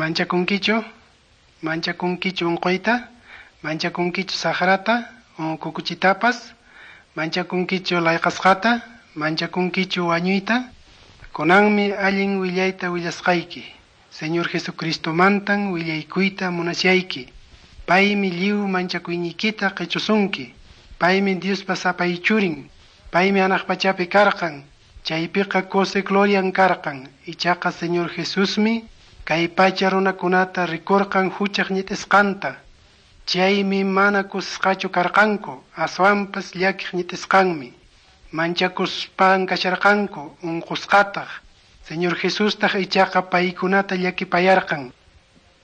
Manchakunkichu? Manchakunkichu unquyta? Manchakunkichu saqrata kukuchitapas? Manchakunkichu layqasqata? Manchakunkichu wañuyta? Kunanmi allin willayta willasqayki. Señor Jesucristomantan willaykuyta munashayki. Paymi lliw manchakuyniykita qichusunki. Paymi Diospa sapay churin. Paymi hanaq pachapi karqan. Chaypiqa kusi glorian karqan. Ichaqa Señor Jesusmi kay pacha runakunata rikurqan huchaq ñit'isqanta. Chaymi mana kusisqachu karqanku, aswanpas llakiq ñit'isqanmi. Manchakuspan kasharqanku, unqusqataq. Señor Jesustaq ichaqa paykunata llakipayarqan.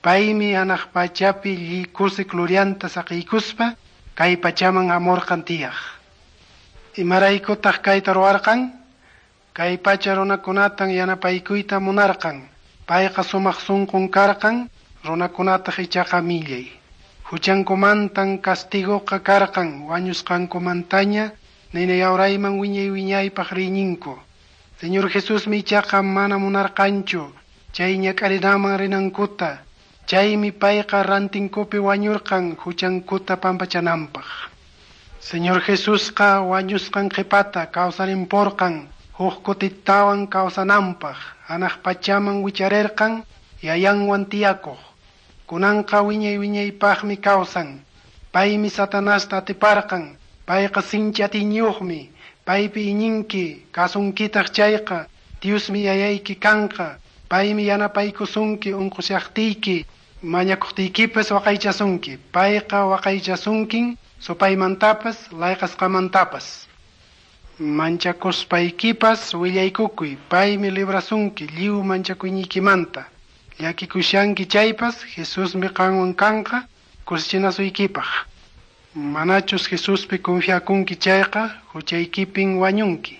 Paymi hanaq pachapi kusi glorianta saqiykuspa kay pachaman hamurqan tiyaq. Imaraykutaq kayta ruwarqan? Kay pacha runakunatan yanapaykuyta munarqan. Payqa sumaq sunqun karqan, runakunataq ichaqa millay. Huchankumantan castigoqa karqan, wañusqankumantaña nina yawrayman wiñay wiñaypaq riyninku. Señor Jesusmi ichaqa mana munarqanchu chay ñak'arinaman rinankuta. Chaymi payqa rantinkupi wañurqan huchankuta pampachananpaq. Señor Jesusqa wañusqan qhipata kawsarinpurqan huk kutitawan kawsananpaq. Hanaq pachaman wicharirqan yayanwan tiyakuq. Kunanqa wiñay wiñaypaqmi kawsan. Paymi Satanasta atiparqan. Payqa sinchi atiyniyuqmi. Paypi iñinki, kasunkitaq chayqa, Diosmi yayayki kanqa. Paymi yanapaykusunki unqushaqtiyki, mañakuqtiykipas waqaychasunki. Payqa waqaychasunkin supaymantapas, layqasqamantapas. Manchakuspaykipas willaykukuy, paymi librasunki lliw manchakuyniykimanta. Llakikushanki chaypas, Jesusmi qanwan kanqa kusichinasuykipaq. Manachus Jesuspi confiakunki chayqa, huchaykipin wañunki.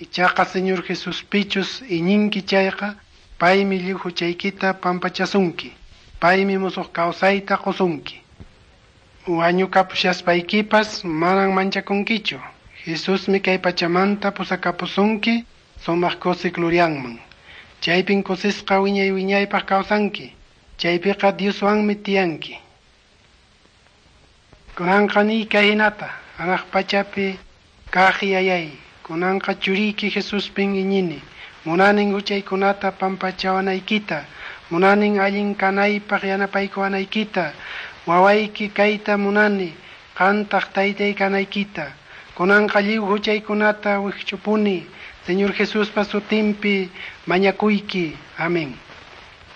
Ichaqa Señor Jesuspichus iñinki chayqa, paymi lliw huchaykita pampachasunki. Paymi musuq kawsayta qusunki. Wañukapushaspaykipas manan manchakunkichu. Jesusmi kay pachamanta pusakapusunki sumaq kusi glorianman. Chaypin kusisqa wiñay wiñaypaq kawsanki. Chaypiqa Dioswanmi tiyanki. Kunanqa niy kay hinata, hanaq pachapi kaq yayay, kunanqa churiyki Jesuspin iñini. Munanin huchaykunata pampachawanaykita, munanin allin kanaypaq yanapaykuwanaykita, wawayki kayta munani, qantaq taytay kanaykita. Kunanqa lliw huchaykunata wikch'upuni, Señor Jesuspa sutinpi mañakuyki. Amén.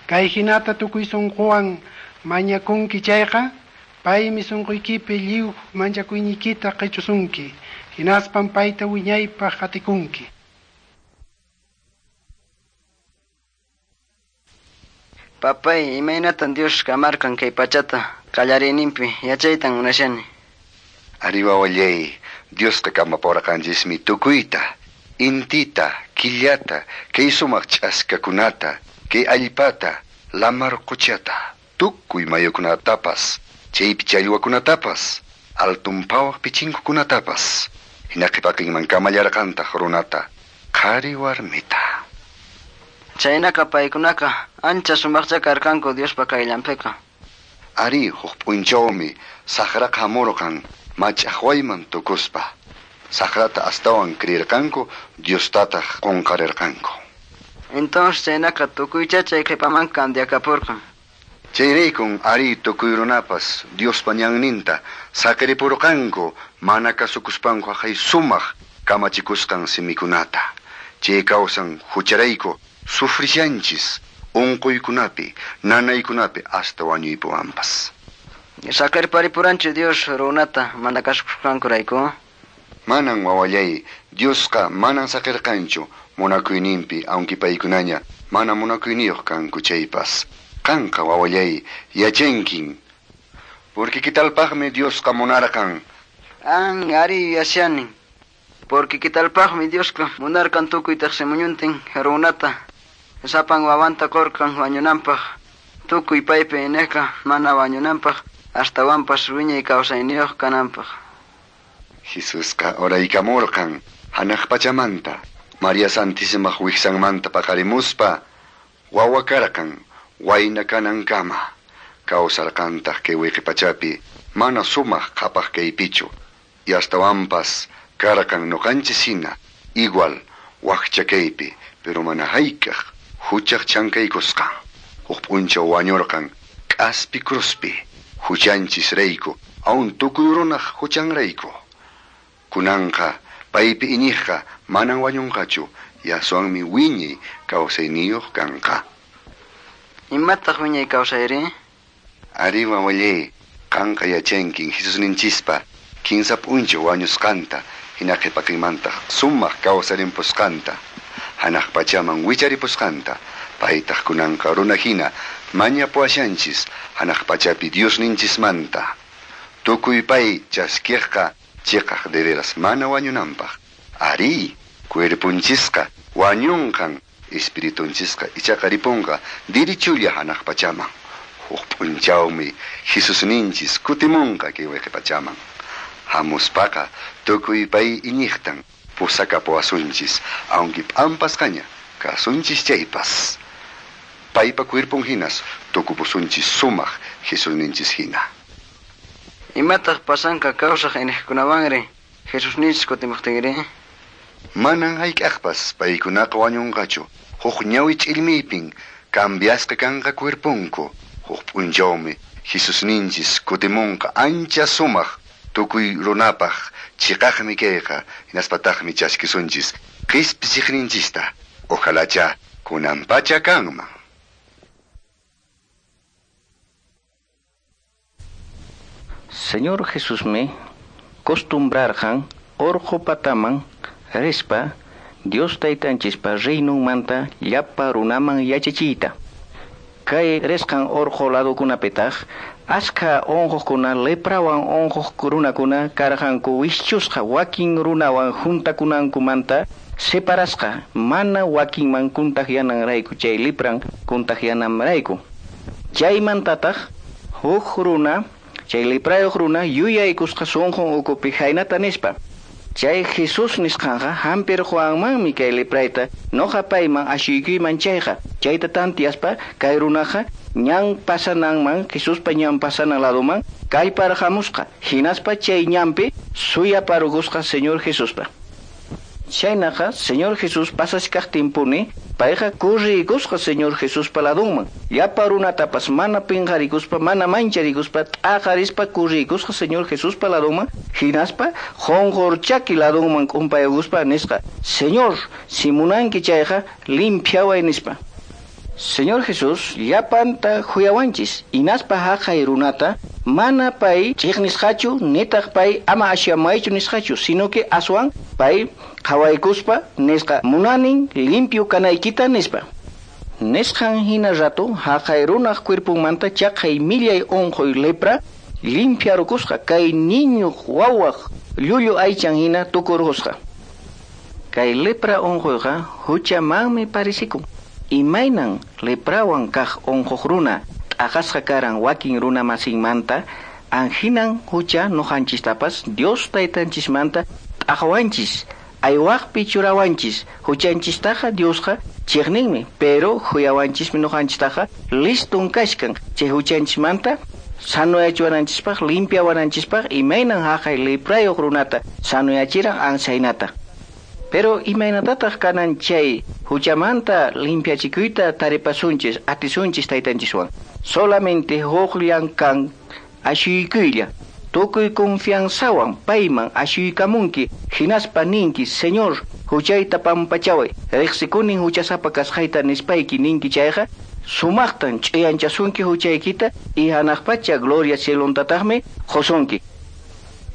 Kay hinata tukuy sunquwan mañakunki chayqa, paymi sunquykipi lliw manchakuyniykita qichusunki, hinaspan payta wiñaypaq qatikunki. Papay, imaynatan Dios kamarqan kay pachata qallariyninpi yachaytan munashani. Ari wawallay, Diosqa kamapurqanchismi tukuyta, intita, killata, kay sumaq ch'askakunata, kay allpata, lamar quchata, tukuy mayukunatapas, chaypi challwakunatapas, altun pawaq pichinkukunatapas. Hina qhipaqinman kamallarqantaq runata, qhari warmita. Chaynaqa paykunaqa ancha sumaqcha karqanku Diospa qayllanpiqa. Ari huk p'unchawmi saqraqa hamurqan mach'aqwayman tukuspa. Saqrata astawan creerqanku, Diostataq qunqarirqanku. Entonces chaynaqa tukuycha chay qhipaman cambiakapurqan. Chayraykun ari tukuy runapas Diospa ñanninta saqiripurqanku mana kasukuspanku haqay sumaq kamachikusqan simikunata. Chay kawsan hucharayku sufrishanchis unquykunapi, nanaykunapi hasta wañuypuwanpas. Saqirparipuranchu Dios runata mana kasukusqankurayku? Manan wawallay, Diosqa manan saqirqanchu munakuyninpi, aunque paykunaña mana munakuyniyuq kanku chaypas. Qanqa wawallay, yachankin. Porque kitalpaqmi Diosqa munarqan. An ari yuyashani. Porque kitalpaqmi Diosqa munarqan tukuy tiqsimuñuntin runata sapan wawanta qurqan wañunanpaq. Tukuy paypi iñiqqa mana wañunanpaq, astawanpas wiñay kawsayniyuq kananpaq. Jesusqa uraykamurqan hanaq pachamanta, María Santísimaq wiksanmanta paqarimuspa, wawa karqan, wayna kanankama. Kawsarqantaq kay wiqipachapi mana sumaq qhapaq kaypichu. Y astawanpas karqan nuqanchis hina igual wakcha kaypi, pero mana hayk'aq huchaq chankaykusqan. Huk p'unchaw wañurqan k'aspi cruzpi huchanchis rayku, aun tukuy runaq huchanrayku. Kunanqa paypi iñiqqa manan wañunqachu, yaswanmi wiñay kawsayniyuq kanqa. Imataq wiñay kawsayri? Ari wawallay, qanqa yachankin Jesusninchispa kinsa p'unchaw wañusqanta, hina qhipaqinmantaq sumaq kawsarimpusqanta, hanaq pachaman wicharipusqanta, paytaq kunanqa runa hina mañapuwashanchis hanaq pachapi Diosninchismanta. Tukuy pay chaskiqqa chiqaq de veras mana wañunanpaq. Ari, cuerpunchisqa wañunqan, espiritunchisqa ichaqa ripunqa dirichulla hanaq pachaman. Huk p'unchawmi Jesusninchis kutimunqa kay wiqipachaman. Hamuspaqa tukuy pay iñiqtan pusakapuwasunchis, aunque p'ampasqaña kasunchis chaypas. Paypa cuerpon hinas tukupusunchis sumaq Jesusninchis hina. Imataq pasanqa kawsaq iniqkunawanri Jesusninchis kutimuqtinri? Manan hayk'aqpas paykunaqa wañunqachu. Huk ñawi ch'illmiypin cambiasqa kanqa cuerponku. Huk p'unchawmi Jesusninchis kutimunqa ancha sumaq tukuy runapaq chiqaqmi kayqa, hinaspataqmi chaskisunchis qispichiqninchista. Ojalacha kunan pacha kanman. Señor Jesusmi costumbrarqan orqo pataman rispa Dios taytanchispa reinunmanta llapa runaman yachachiyta. Kay risqan orqo ladukunapitaq askha unquqkuna leprawan unquq runakuna karqanku wischusqa wakin runawan juntakunankumanta separasqa mana wakinman kuntaqyananrayku chay lepran kuntaqyananrayku. Chaymantataq huk runa chay leprayuq runa yuyaykusqa sunqun ukupi haynata nispa. Chay Jesús nisqanqa hampirquwanmanmi kay leprayta noqa payman ashuykuyman chayqa. Chayta tantiaspa kay runaqa ñan pasananman Jesuspa ñan pasanan laduman kallparqamusqa hinaspa chay ñanpi suyaparukusqa Señor Jesuspa. Chaynaqa Señor Jesús pasachkaqtinpuni payqa kurriykusqa Señor Jesuspa ladunman. Llapa runatapas mana pinqarikuspa mana mancharikuspa t'aqarispa kurriykusqa Señor Jesuspa ladunman hinaspa qunqurchaki ladunman k'umpaykuspa nisqa: Señor, si munanki chayqa limpiaway nispa. Señor Jesús llapanta huyawanchis hinaspa haqay runata mana pay chiqnisqachu nitaq pay ama ashamaychu nisqachu, sino que aswan pay qhawaykuspa nisqa munanin limpio kanaykita nispa. Nisqan hina rato haqay runaq cuerpunmanta chaqay millay unquy lepra limpiarukusqa kay niño wawaq llullu aychan hina tukurqusqa. Kay lepra unquyqa huchamanmi parisikun. Imaynan leprawan kaq unquq runa t'aqasqa karan wakin runa masinmanta anhinan hucha nuqanchistapas Dios taytanchismanta t'aqawanchis aywaqpi churawanchis. Huchanchistaqa Diosqa chiqninmi, pero huyawanchismi nuqanchistaqa listun kashkan chay huchanchismanta sanoyachiwananchispaq limpiawananchispaq imaynan haqay leprayuq runata sanoyachiran ansaynata. Pero imaynatataq kanan chay huchamanta limpiachikuyta taripasunchis atisunchis taytanchiswan. Solamente huqllan kan ashuykuylla. Tukuy confianzawan payman ashuykamunki hinaspa ninki: Señor, huchayta pampachaway, riqsikunin huchasapa kasqayta nispayki ninki chayqa sumaqtan ch'uyanchasunki huchaykita y hanaq pacha gloria cielontataqmi qusunki.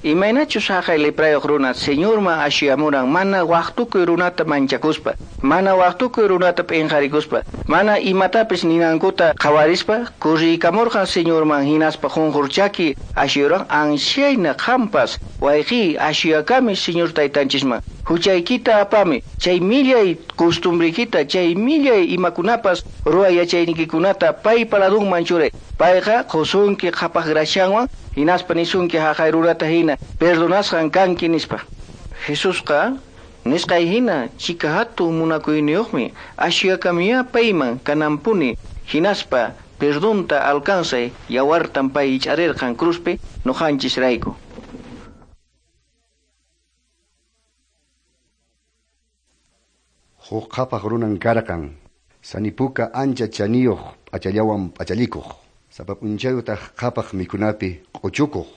Imaynachus haqay leprayuq runa Señorman ashuyamuran mana waqtukuy runata manchakuspa, mana waqtukuy runata p'inqarikuspa, mana imatapis ninankuta qhawarispa kurriykamurqan Señorman hinaspa qunqurchaki ashuyuran anshayna qampas wayqiy ashuyakami Señor taytanchisman. Huchaykita apami, chay millay costumbrikita, chay millay imakunapas ruway yachaynikikunata paypa ladunman churay. Payqa qusunki qhapaq grashanwan hinaspa nisunki haqay rurata hina perdonasqan kanki nispa. Jesusqa nisqay hina chika hatun munakuyniyuqmi ashuyakamiya payman kanampuni Hinaspa perdonta alcanzay yawartan pay ich'arirqan cruzpi noqanchis rayku. Huk qhapaq runan karqan, sanipuka ancha chaniyuq p'achallawan p'achallikuq, sapa p'unchayutaq qhapaq mikunapi q'uchukuq.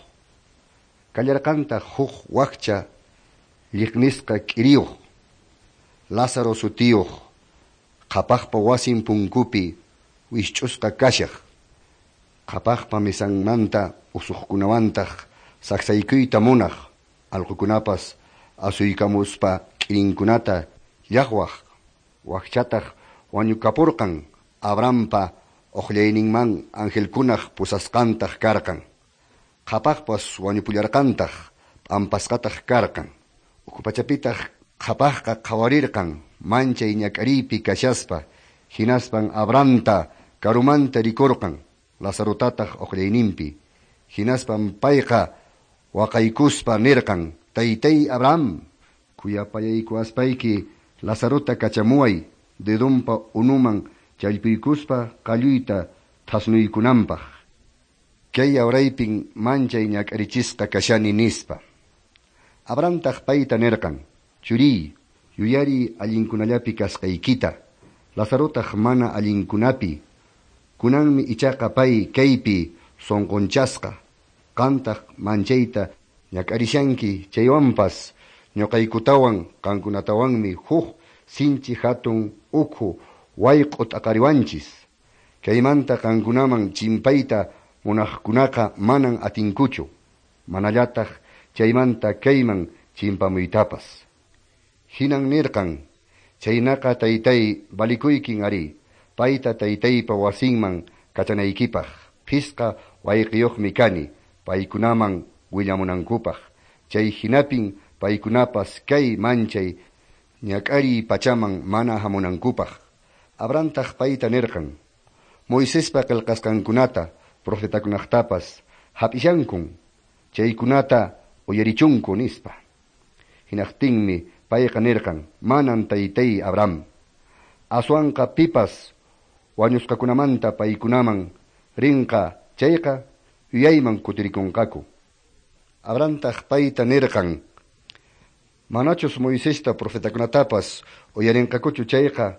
Kallarqantaq huk wakcha lliqnisqa k'iriyuq, Lázaro sutiyuq, qhapaqpa wasin punkupi wishch'usqa kashaq, qhapaqpa misanmanta usuqkunawantaq saksaykuyta munaq, allqukunapas asuykamuspa k'irinkunata llaqwaq, wakchataq wañukapurqan Abrahampa uqllayninman angelkunaq pusasqantaq karqan. Qhapaqpas wañupullarqantaq p'ampasqataq karqan. Ukhu pachapitaq qhapaqqa qhawarirqan manchay ñak'ariypi kashaspa, hinaspan Abrahamta karumanta rikurqan, Lazarotataq uqllayninpi. Hinaspan payqa waqaykuspa nirqan: Taytay Abraham, khuyapayaykuwaspayki Lazarota kachamuway dedonpa unuman challpuykuspa qalluyta thasnuykunanpaq. Kay awraypin manchay ñak'arichisqa kashani nispa. Abrahamtaq payta nirqan: Churiy, yuyariy allinkunallapi kasqaykita, Lazarotaq mana allinkunapi. Kunanmi ichaqa pay kaypi sunqunchasqa, qantaq manchayta ñak'arishanki chaywanpas ñuqaykutawan qankunatawanmi huk sinchi hatun ukhu wayq'u t'aqariwanchis. Kaymanta qankunaman chimpayta munaqkunaqa manan atinkuchu, manallataq chaymanta kayman chimpamuytapas. Hinan nirqan: Chaynaqa taytay valikuykin ari, payta taytaypa wasinman kachanaykipaq, phisqa wayqiyuqmi kani, paykunaman willamunankupaq. Chay hinapin paykunapas kay manchay ñak'ariy pachaman mana hamunankupaq. Abrahamtaq payta nirqan: Moisespa qillqasqankunata profetakunaqtapas hap'ishankun, chaykunata uyarichunku nispa. Hinaqtinmi payqa nirqan: Manan taytay Abraham, aswanqa pipas wañusqakunamanta paykunaman rinqa chayqa yuyayman kutirikunqaku. Abrahamtaq payta nirqan: Manachus Moisesta profetakunatapas uyarinqakuchu chayqa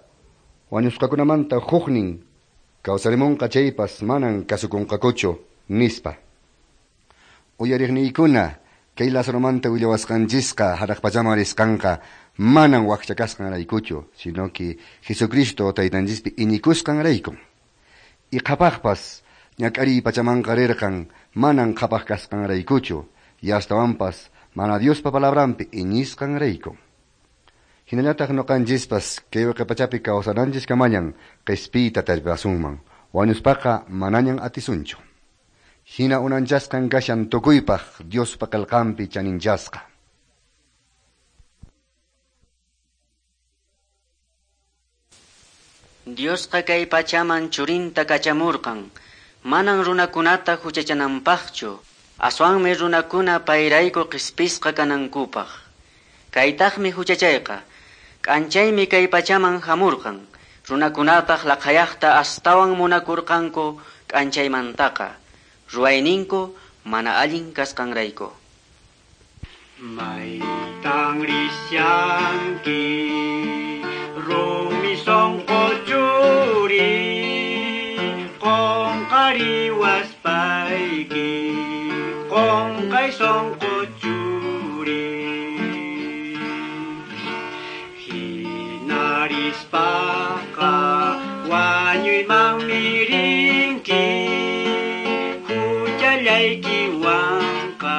wañusqakunamanta huknin kawsarimunqa chaypas manan kasukunqakuchu nispa. Uyariqniykuna, kay Lazaromanta willawasqanchisqa hanaq pachaman risqanqa manan wakcha kasqanraykuchu, sino que Jesucristo taytanchispi iñikusqanraykun. Y qhapaqpas ñak'ariy pachamanqa rirqan manan qhapaq kasqanraykuchu, y astawanpas mana Diospa palabranpi iñisqanrayku. Hinallataq ñuqanchispas kay pachapi kawsananchis kamañan qispiyta tarpasunman, wañuspaqa manañan atisunchu. Hina unanchasqan kashan tukuypaq Diospa qillqanpi chaninchasqa. Diosqa kay pachaman churinta kachamurqan, manan runakunata huchachananpaqchu, aswanmi runakuna payrayku qispisqa kanankupaq. Kaytaqmi huchachayqa, k'anchaymi kay pachaman hamurqan, runakunataq laqhayaqta astawan munakurqanku k'anchaymantaqa, ruwayninku mana allin kasqanrayku. Maytan rishanki rumi sunqu churi, qunqariwaspayki, qunqay sunqu churi. Hinarispaqa wañuymanmi rinki, huchallaykiwanqa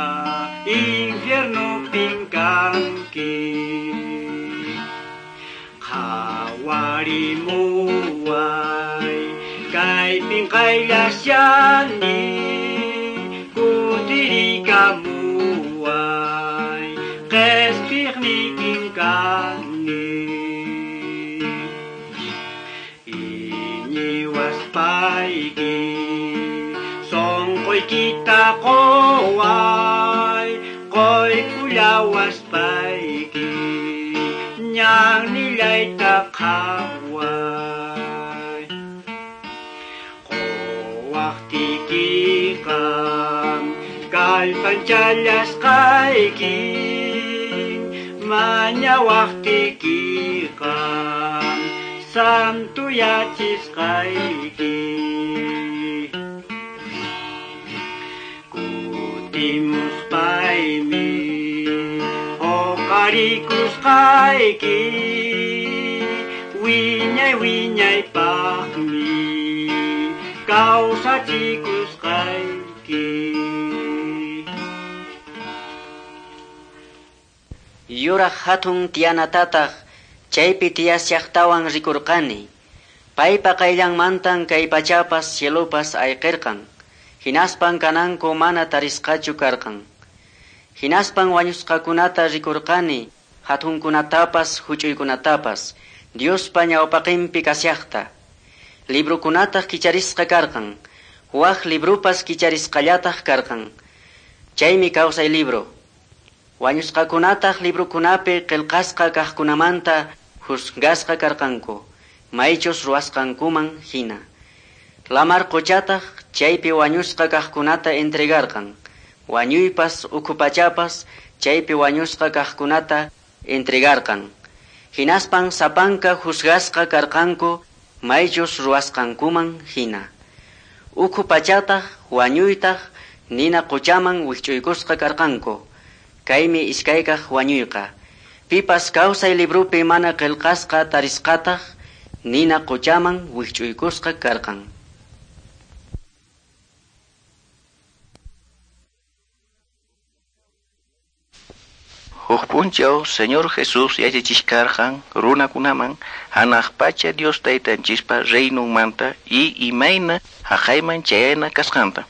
infiernupin kanki. Qhawarimuway kaypin qayllashani, kutirikamuway qhispiqniykin kani. Iñiwaspayki sunquykita quway, quykullawaspayki ñannillayta qhaway. Pampachallasqayki mañawaqtiykiqa santuyachisqayki kutimuspaymi huqarikusqayki wiñay wiñaypaqmi kawsachikusqayki. Yuraq hatun tiyanatataq chaypi tiyashaqtawan rikurqani. Paypa qayllanmantan kay pachapas cielopas ayqirqan. Hinaspan kananku mana tarisqachu karqan. Hinaspan wañusqakunata rikurqani, hatunkunatapas huch'uykunatapas, Diospa ñawpaqinpi kashaqta. Librukunataq kicharisqa karqan, wak librupas kicharisqallataq karqan. Chaymi kawsay libro. Wañusqakunataq librukunapi qillqasqa kaqkunamanta juzgasqa karqanku, maychus ruwasqankuman hina. Lamar quchataq chaypi wañusqa kaqkunata entregarqan. Wañuypas ukhu pachapas chaypi wañusqa kaqkunata entregarqan. Hinaspan sapanka juzgasqa karqanku maychus ruwasqankuman hina. Ukhu pachataq wañuytaq nina quchaman wikch'uykusqa karqanku. Kaymi iskaykaq wañuyqa. Pipas kawsay librupi mana qillqasqa tarisqataq nina quchaman wikch'uykusqa karqan. Huk p'unchaw Señor Jesús yachachiskarqan runakunaman hanaq pacha Dios taytanchispa reinunmanta y imayna haqayman chayana kasqanta.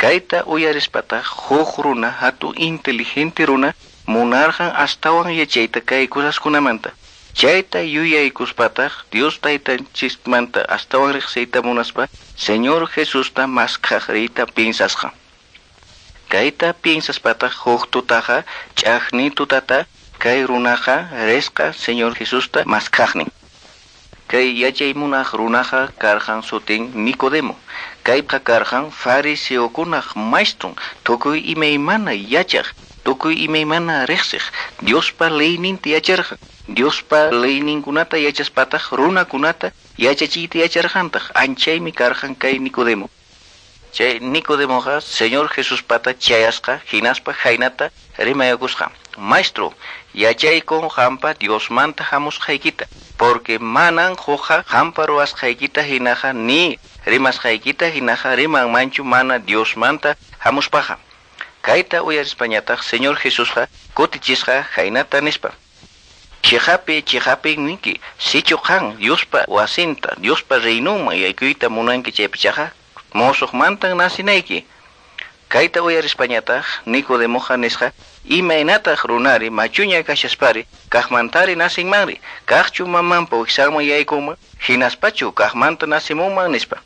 Kayta uyarispataq huk runa hatun inteligente runa munarqan astawan yachayta kay cosaskunamanta. Chayta yuyaykuspataq Dios taytanchismanta astawan riqsiyta munaspa Señor Jesusta maskhaq riyta piensasqa. Kayta piensaspataq huk tutaqa ch'aqni tutata kay runaqa risqa Señor Jesusta maskhaqnin. Kay yachay munaq runaqa karqan sutin Nicodemo. Kayqa karqan fariseokunaq maestron, tukuy imaymana yachaq, tukuy imaymana riqsiq, Diospa leyninta yacharqan. Diospa leyninkunata yachaspataq runakunata yachachiyta yacharqantaq. Anchaymi karqan kay Nicodemo. Chay Nicodemoqa Señor Jesuspata chayasqa hinaspa khaynata rimayakusqa. Maestro, yachaykun qampa Diosmanta hamusqaykita, porque manan hukqa qampa ruwasqaykita hinaqa ni rimasqaykita hinaqa rimanmanchu mana Diosmanta hamuspaqa. Kayta uyarispañataq Señor Jesusqa kutichisqa khaynata nispa. Chiqapi chiqapi ninki, sichu qan Diospa wasinta, Diospa reinunman yaykuyta munanki chaypichaqa mosuqmantan nasinayki. Kayta uyarispañataq Nicodemoqa nisqa imaynataq runari machuña kashaspari kaqmantari nasinmanri, kaqchu mamanpa wiksanman yaykunman hinaspachu kaqmanta nasimunman nispa.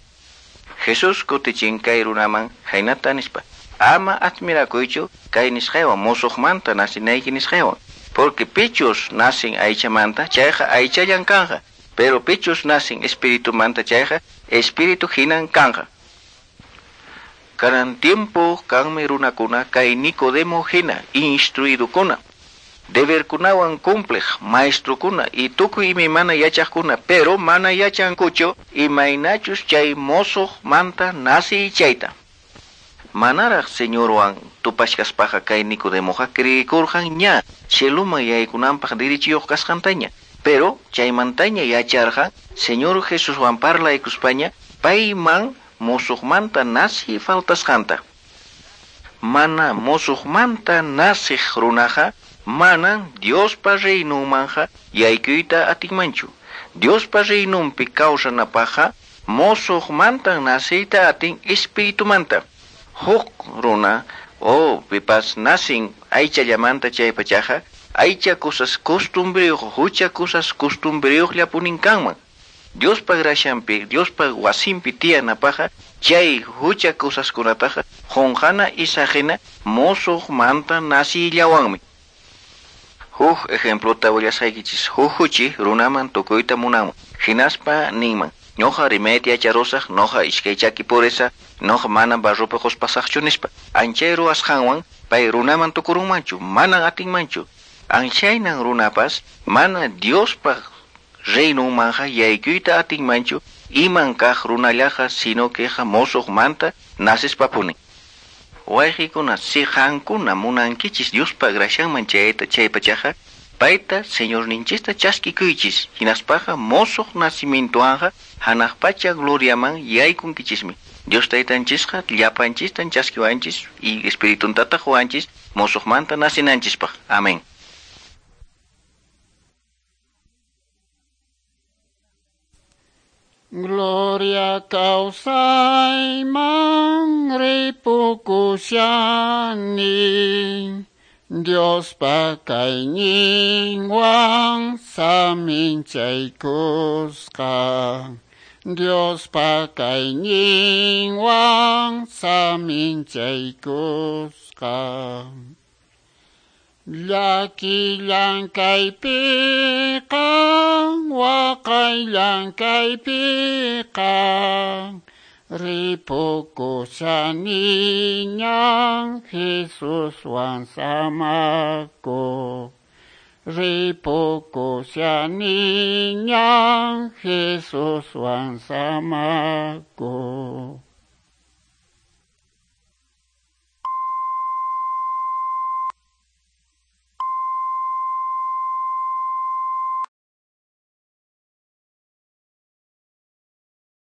Jesús kutichin kay runaman khaynata nispa. Ama admirakuychu kay nisqaywan mosuqmanta nasinayki nisqaywan, porque pichus nasin aychamanta chayqa aychallan kanqa, pero pichus nasin espiritumanta chayqa espíritu hinan kanqa. Kanan tiempo kanmi runakuna kay Nicodemo hina instruidukuna, deberkunawan cumpliq maestrukuna y tukuy imaymana yachaqkuna, pero mana yachankuchu imaynachus chay mosuqmanta nasiy chayta. Manaraq Señorwan tupashkaspaqa kay Nicodemoqa creekurqan ña cieluman yaykunanpaq derechuyuq kasqantaña, pero chaymantaña yacharqan Señor Jesuswan parlaykuspaña payman mosuqmanta nasiy faltasqanta. Mana mosuqmanta nasiq runaqa manan Diospa reinunmanja yaykuyta atinmanchu. Diospa reinunpi kawsanapaqqa mosuqmantan nasiyta atin espiritumanta. Huk runa o pipas nasin aychallamanta chaypachaqa aycha cosas costumbriyuq hucha cosas costumbriyuqllapunin kanman. Diospa gracianpi, Diospa wasinpi tiyanapaqqa chay hucha cosaskunataqa qunqana isaqina mosuqmanta nasiyllawanmi. Huk ejemplota willasqaykichis. Huk huchi runaman tukuyta munanman. Hinaspa ninman, ñuqa rimayta yacharusaq, ñuqa iskay chaki purisa, ñuqa mana barropi quspasaqchu nispa. Anchay ruwasqanwan Pay runaman tukurunmanchu, manan atinmanchu. Anchaynan runapas mana Diospaq reinunmanja yaykuyta atinmanchu iman kaq runallaqa sino queja mosoqmanta nacespapuni. Wayqikuna, si qankuna munankichis Diospa gracianman chayta chaypachaqa, payta Señorninchista chaskikuychis, hinaspaqa mosoq nacimientoanja hanaq pacha gloriaman yaykunkichismi. Dios taytanchisqa llapanchistan chaskiwanchis y espirituntataq qowanchis mosoqmanta nacinanchispaq. Amén. Gloria kawsayman ripukushani, Diospa kayninwan saminchaykusqa, Diospa kayninwan saminchaykusqa. Llaki llankaypiqa, waqay llankaypiqa, ripukushaniñan Jesuswan samakuq. Ripukushaniñan Jesuswan samakuq.